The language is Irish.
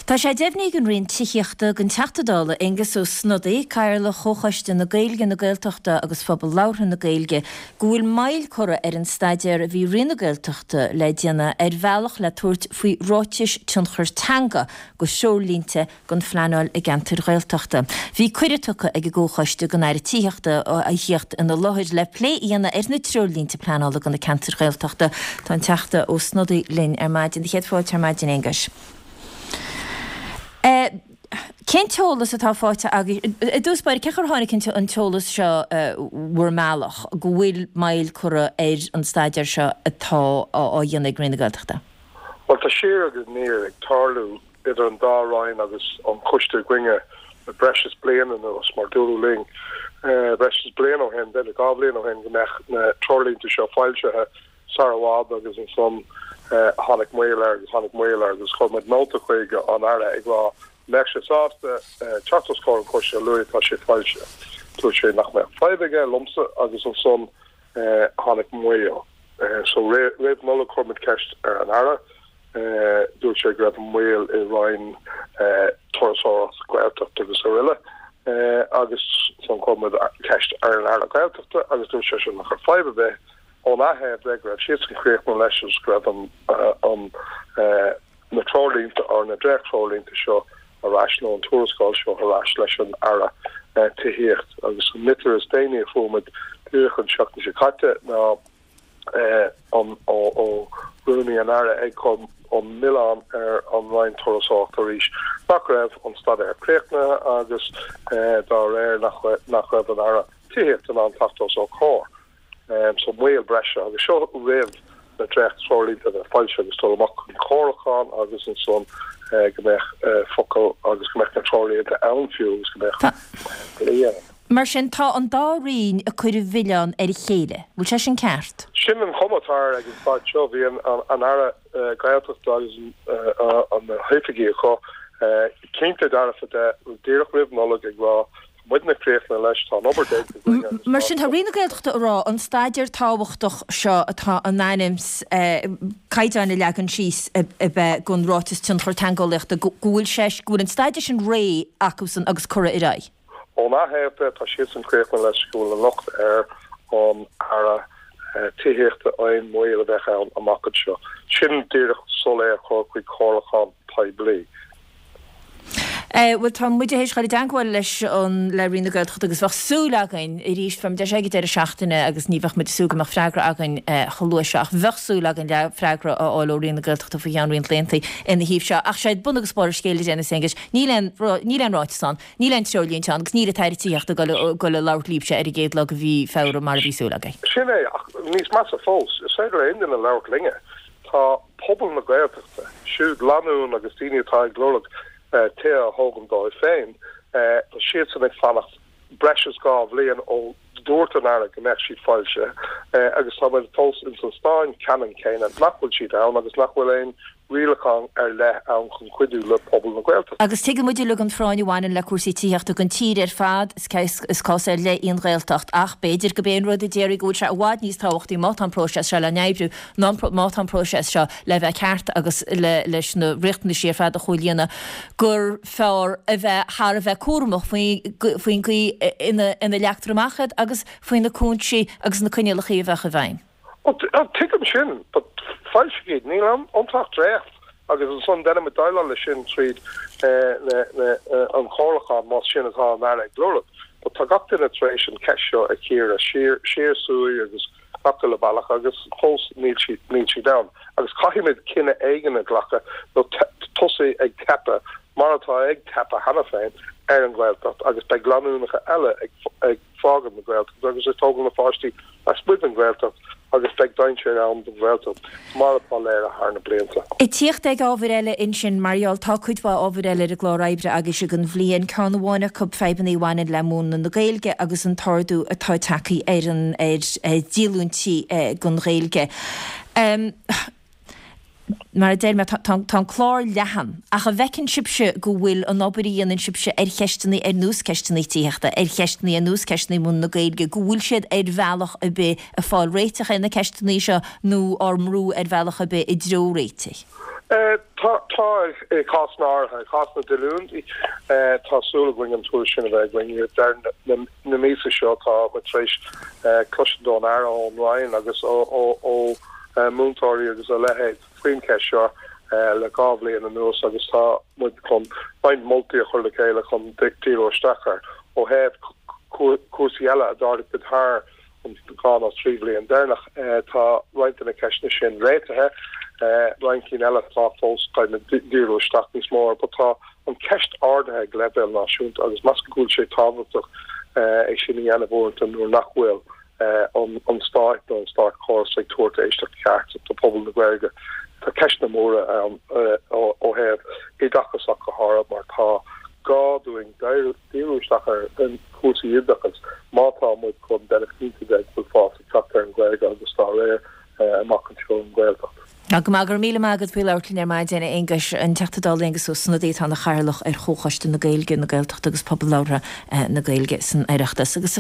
Tá sé deimhnithe ag an Roinn Tithíochta don Teachta Dála Aengus Ó Snodaigh, Cathaoirleach Chomhchoiste na Gaeilge, na Gaeltachta agus Phobal Labhartha na Gaeilge, go bhfuil moill curtha ar an staidéar a bhí Roinn na Gaeltachta le déanamh ar bhealach le tabhairt faoi ráitis tionchair teanga do threoirlínte don phleanáil i gceantair Ghaeltachta. Bhí cuireadh tugtha ag an gComhchoiste don Aire Tithíochta a thíocht ina láthair le plé a dhéanamh ar na treoirlínte pleanála do na ceantair Ghaeltachta. Tá an Teachta Ó Snodaigh linn ar maidin. Céad fáilte ar maidin, Aonghuis. Cén t-eolas atá faighte agaibh? I dtús báire, cén chaoi ar tháinig an t-eolas seo bhur mbealach, go bhfuil moill curtha ar an staidéar seo atá á dhéanamh ag Roinn na Gaeltachta? Bhuel, tá siar agus aniar ag tarlú idir an dá Roinn agus an coiste againne le breis is bliain anuas, mar dúradh linn breis is bliain ó shin, b'fhéidir 2 bhliain ó shin, go mbeadh na treoirlínte seo foilsithe sar i bhfad agus ansan tháinig moill air agus tháinig moill air agus chuir muid nóta chuig an Aire ag rá an mbeadh sé sásta teacht os comhair an choiste a luaithe atá sé foilsithe. Dúirt sé nach mbeadh fadhb aige liomsa agus ansan tháinig moill. So roimh Nollaig chuir muid ceist ar an Aire. Dúirt sé go raibh an moill i Roinn Turasóireacht, Gaeltacht agus aroile agus ansan chuir muid ceist ar an Aire Gaeltachta agus dúirt seisean nach raibh fadhb ar bith óna thaobh de, go raibh siadsan críochnaithe leis agus go raibh an na treoirlínte or na dréacht-treoirlínte seo ar ais nó an tuarascáil seo ar ais leis an Aire Tithíocht. Agus an litir is déanaí a fuair muid díreach an tseachtain seo caite ná an ó Rúnaí an Aire ag cur an milleán ar an Roinn Turasóireachta arís nach raibh an staidéar críochnaithe agus dá réir nach raibh an Aire Tithíochta in ann teacht os ár comhair. So moill breise agus seo roimh na dréacht-treoirlínte a bheith foilsithe agus dul amach chun comhairliúcháin agus ansan go mbeadh focal agus go mbeadh na treoirlínte ann fiú agus go mbeadh plé ann. Mar sin, tá an dá roinn ag cur an mhilleáin ar a chéile. Bhfuil sé sin ceart? Sin an chuma atá air ag an staid seo. Bhí an Aire Gaeltachta agus na hoifigigh acu cinnte dearfa de díreach roimh Nollaig ag rá tá muidne críochnaithe leis, tá an obair déanta againn agus tá. Mar sin, tá Roinn na Gaeltachta ag rá an staidéar tábhachtach seo atá in ainm is caighdeáin a leagan síos a bheith don ráiteas tionchar teangeolaíochta go bhfuil sé, go bhfuil an staidéar sin réidh acusan agus curtha ar aghaidh. Óna thaobh de, tá siadsan críochnaithe leis go bhfuil an locht ar an Aire Tithíochta aon mhoill a bheadh ann amach anseo. Sin díreach sul é a chur chuig comhairliúchán poiblí. Bhuel, tá muid théis dhul i dteagmháil leis an le Roinn na Gaeltachta agus bheadh súil againn arís, beidh muid ar ag an deireadh seachtaine agus ní bheadh muid ag súil go mbeadh freagra againn chomh luath seo ach bheadh súil againn le freagra a fháil ó Roinn na Gaeltachta faoi cheann roinnt laethanta ina thaobh seo. Ach sé bun agus barr an scéil a Dennis Aonghuis, níl aon níl aon ráiteas ann. Níl aon treoirlínte ann agus níl an tAire Tithíochta ag dul a labhairt libhse ar an gcéad lá de mhí Feabhra mar a bhí súil againn. Sin é, ach níos measa fós, is féidir le aon duine labhairt linne. Tá pobal na Gaeltachta, siúd lánúin agus daoine atá ag lorg tithe a thógaint dóibh féin, tá siadsan ag fanacht breis is 2 bhliain ó dúirt an Aire go mbeadh siad foilsithe agus tá muid fós ins an staid ceannann céanna nach bhfuil siad ann agus nach bhfuil aon rialachán ar leith ann chun cuidiú le pobal na Gaeltachta. Agus tuigeann muid uilig an phráinn a bhaineann le cúrsaí tithíochta don tír ar fad, is cás ar leith í an Ghaeltacht ach b'fhéidir gurb é an rud a déarfaí go bhfuil sé i bhfad níos tábhachtaí má tá an próiseas seo le n-oibriú ná má tá an próiseas seo le bheith ceart agus leis na riachtanaisí ar fad a chomhlíonadh gur fearr a bheith thar a bheith cúramach faoin gcaoi ina leagtar amach iad agus faoi na cúinsí agus na coinníollacha a bheadh i bhfeidhm. Ó, tuigim sin, but foilsigh iad, níl iontu ach dréacht agus ansan déanfaimid déileáil leis sin tríd an chomhairliúchán más sin atá an Aire ag lorg. But tá gach duine tar éis an cheist seo a chíoradh siar, siar suas agus gach uile bealach agus fós níl siad, níl siad ann. Agus caithfimid cinneadh éigin a ghlacadh nó tosaí ag teipeadh, mar atá ag teipeadh cheana féin, ar an Ghaeltacht agus beidh lánúineacha eile ag, ag fágáil na Gaeltachta agus ag tógáil na pháistí lasmuigh den Ghaeltacht agus beidh dainséar ann don Ghaeltacht mar atá léirithe thar na blianta. Ag tíocht ag ábhair eile ansin, mar gheall, tá cuid mhaith ábhair eile ar an gclár oibre agaibhse don bhliain, ceann amháin acu fadhbanna a bhaineann le múineadh na Gaeilge agus an t-ardú atá tagtha ar an ar dhíolúintí don Ghaeilge. Mar a deir mé, tá an clár leathan, ach an bhfeiceann sibhse go bhfuil an obair a dhéanann sibhse ar cheisteanna ar nós ceisteanna tithíochta, ar cheisteanna ar nós ceisteanna múineadh na Gaeilge, go bhfuil siad ar bhealach ar bith ag fáil réiteach ar na ceisteanna seo nó ár mbrú ar bhealach ar bith i dtreo réitigh? Tá, tá i gcásanna áirithe. I gcás na ndíolúintí, tá súil againn an tuairisc sin a bheith againn ag deireadh na míosa seo. Tá muid tar éis cloisint ón Aire, ón Roinn agus ó mhúinteoirí agus a leithéid faoin cheist seo le 2 bhliain anuas agus tá muid chun roinnt moltaí a chur le chéile chun díriú isteach air. Ó thaobh cúrsaí eile a d'ardaigh muid thar an 2 nó 3 bhliain deireanach. Tá roinnt de na ceisteanna sin réitithe, roinnt cinn eile atá fós caithfidh muid díriú isteach níos mó air. But tá an cheist ardaithe ag leibhéal náisiúnta agus measaim go bhfuil sé tábhachtach é sin a dhéanamh uaireanta nuair nach bhfuil an stát nó an státchóras ag tabhairt éisteacht cheart do phobal na Gaeilge. Tá ceisteanna móra ann ó thaobh oideachais ach go háirithe mar tá gá dúinn díriú isteach ar chúrsaí oideachais má tá muid chun déanamh cinnte de go bhfuil fás ag teacht ar an Ghaeilge agus dá réir amach anseo an Ghaeltacht. Go maith, go raibh míle maith agat faoi labhairt linn ar maidin, a Aonghuis. An Teachta Dála Aengus Ó Snodaigh atá ina chathaoirleach ar Chomhchoiste na Gaeilge, na Gaeltachta agus Pobal Labhartha na Gaeilge san Oireachtas. Agus.